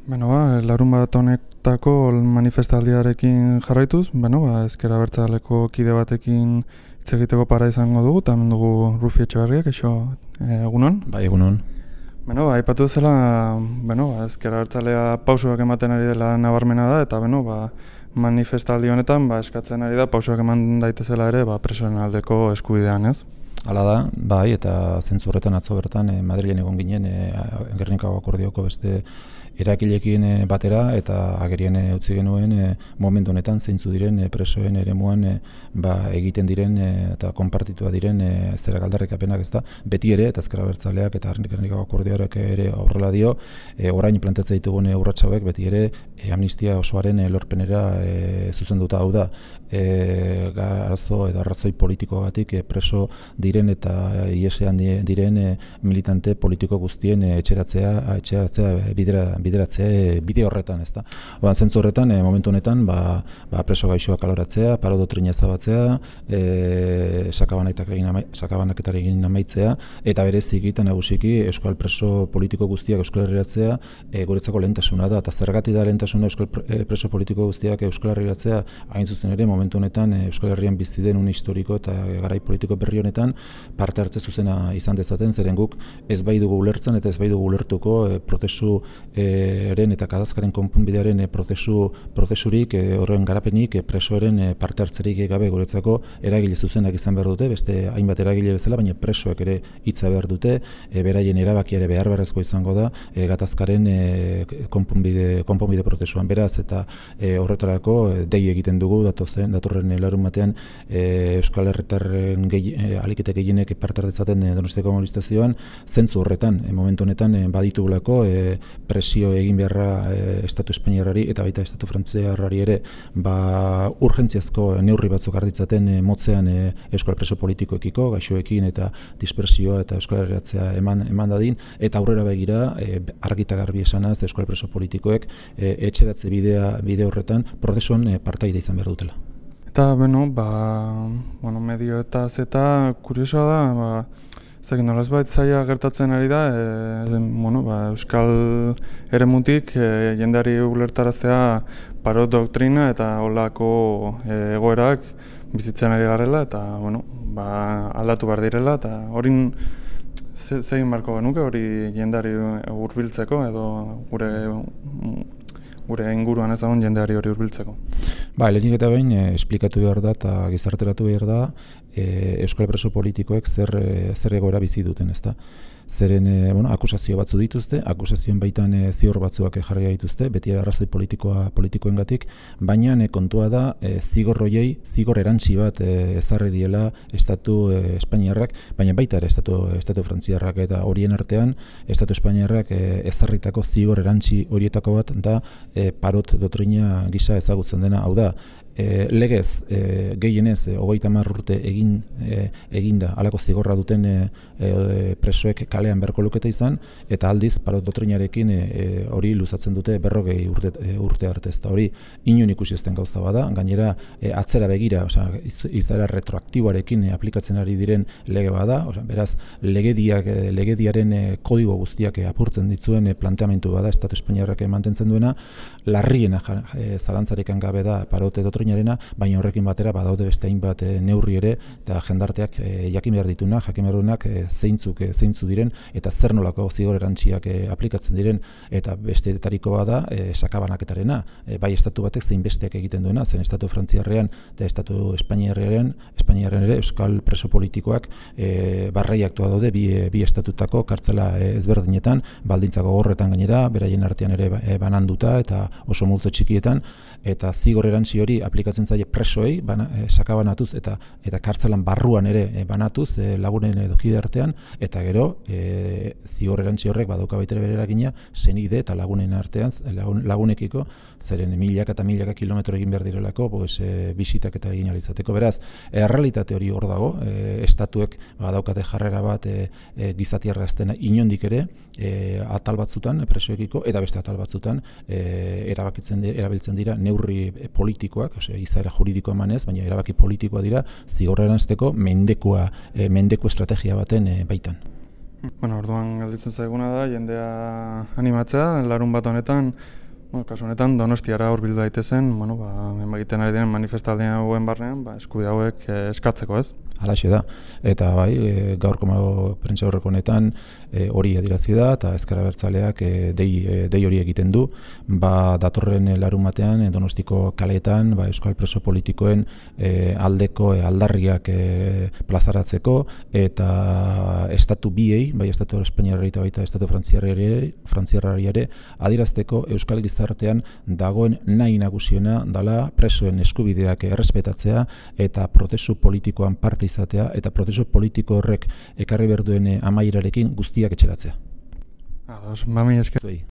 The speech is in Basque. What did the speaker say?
Larun bat honetako manifestaldiarekin jarraituz, ezker abertzaleko kide batekin hitz egiteko para izango dugu, eta hemen dugu Rufi Etxeberriak, egunon? Bai, egunon. Aipatu ezela, ezker abertzalea pausoak ematen ari dela nabarmena da, eta manifestaldi honetan eskatzen ari da pausoak eman daitezela ere presoen aldeko eskubidean, ez? Hala da, bai, eta zentzu horretan atzo bertan Madrilen egon ginen Gernikako akordioko beste erakileekin batera eta agerien utzi genuen momentu honetan zeintzu diren presoen eremuan egiten diren eta konpartitua diren zerak aldarrikapenak, ezta beti ere eta ezker abertzaleak eta Gernikako akordioak ere horrela dio, orain planteatzen ditugun urrats hauek beti ere amnistia osoaren lorpenera zuzenduta, hau da arazo eta arrazoi politikoagatik preso diren eta iesean diren militante politiko guztien etxeratzea bideratzea bide horretan, ezta. Zentzu horretan momentu honetan preso gaixoak kaloratzea, paro doktrina ezabatzea, sakabanaketarekin amaitzea eta berezik eta nagusiki euskal preso politiko guztiak Euskal Herriratzea guretzako lehentasuna da, eta zergatik da lehentasuna euskal preso politiko guztiak Euskal Herriratzea, hain zuzen ere momentu honetan Euskal Herrian bizi den un historiko eta garai politiko berri honetan parte hartze zuzena izan dezaten, zeren guk ez bai dugu ulertzen eta ez bai dugu ulertuko prozesu eren eta kadazkaren konponbidearen prozesurik horren garapenik presoaren parte hartzerik gabe guretzako eragile zuzenak izan behar dute, beste hainbat eragile bezala, baina presoek ere hitza behar dute, beraien erabakia ere behar beharrezko izango da gatazkaren konponbide prozesuan. Beraz eta horretarako dei egiten dugu datorren larun batean Euskal Herritarren alikete gehienek parte hartzezaten Donostiako mobilizazioan, zentzu horretan momentu honetan baditugulako presio egin beharra Estatu Espainiarrari eta baita Estatu Frantziarrari ere urgentziazko neurri batzuk hartitzaten motzean euskal preso politikoekiko, gaixoekin eta dispersioa eta Euskal Herriratzea eman dadin, eta aurrera begira argi eta garbi esanaz euskal preso politikoek etxeratze bide horretan prozesuan partaide izan behar dutela. Eta, medio eta zeta kuriosoa da, nolazbait zaila gertatzen ari da, euskal eremutik jendeari ulertaraztea paro doktrina eta holako egoerak bizitzen ari garela, eta aldatu behar direla, eta hori zegin barko genuke hori jendeari hurbiltzeko edo gure inguruan ez dagoen jendeari hori hurbiltzeko. Lehenik eta behin esplikatu behar da eta gizarteratu behar da euskal preso politikoek zer egoera bizi duten, ezta. Zeren akusazio batzu dituzte, akusazioen baitan zior batzuak jarri dituzte, beti arrazoi politikoengatik, baina kontua da zigor erantsi bat ezarri diela Estatu Espainiarrak, baina baita ere Estatu Frantziarrak, eta horien artean Estatu Espainiarrak ezarritako zigor erantsi horietako bat da parot doktrina gisa ezagutzen dena, hau da, legez gehienez 30 urte eginda halako zigorra duten presoek kalean beharko lukete izan, eta aldiz parot doktrinarekin hori luzatzen dute 40 urte arte, ezta hori inon ikusi ezten gauza bada, gainera atzera begira, izaera retroaktiboarekin aplikatzen ari diren lege bada, beraz legediaren kodigo guztiak apurtzen ditzuen planteamentu bada Estatu Espainiarrak mantentzen duena, larriena zalantzarekan gabe da parot doktrina, baina horrekin batera badaude beste hainbat neurri ere eta jendarteak jakin behar ditunak, zeintzu diren eta zer nolako zigor erantziak aplikatzen diren, eta besteetariko bada sakabanaketarena, bai estatu batek zein besteak egiten duena, zen Estatu Frantziarrean eta Estatu Espainiarrean ere euskal preso politikoak barreiaktua daude bi estatutako kartzela ezberdinetan, baldintzako gorretan gainera, beraien artean ere bananduta eta oso multzo txikietan, eta zigor erantzi hori aplikatzen zaie presoei sakabanatuz eta kartzelan barruan ere banatuz lagunen edo kide artean, eta gero zigor erantzi horrek badauka baita bere eragina senide eta lagunen artean, lagunekiko, zeren milaka eta milaka kilometro egin behar direlako bisitak eta egin alizateko. Beraz, errealitate hori hor dago, estatuek badaukate jarrera bat gizatiarra ezten inondik ere atal batzutan presoekiko, eta beste atal batzutan erabiltzen dira neurri politikoak, izaera juridikoa emanez, baina erabaki politikoa dira zigorra eranzteko mendeku estrategia baten baitan. Orduan galditzen zaiguna da, jendea animatzea, larun bat honetan, kasu honetan Donostiara hurbildu daitezen, egiten ari diren manifestaldian hauen barnean, eskubide hauek eskatzeko, ez? Halaxe da, eta bai, gaurko prentsa horreko honetan hori adierazi da, eta Ezker Abertzaleak dei hori egiten du, datorren larun batean Donostiko kaleetan euskal preso politikoen aldeko aldarriak plazaratzeko, eta estatu biei, bai estatu espainiarrari eta baita estatu frantziarrari ere, adierazteko euskal gizartean dagoen nahi nagusiena dela presoen eskubideak errespetatzea eta prozesu politikoan parte izatea eta prozesu politiko horrek ekarri behar duen amaierarekin guztiak etxeratzea. Ados, mami esker.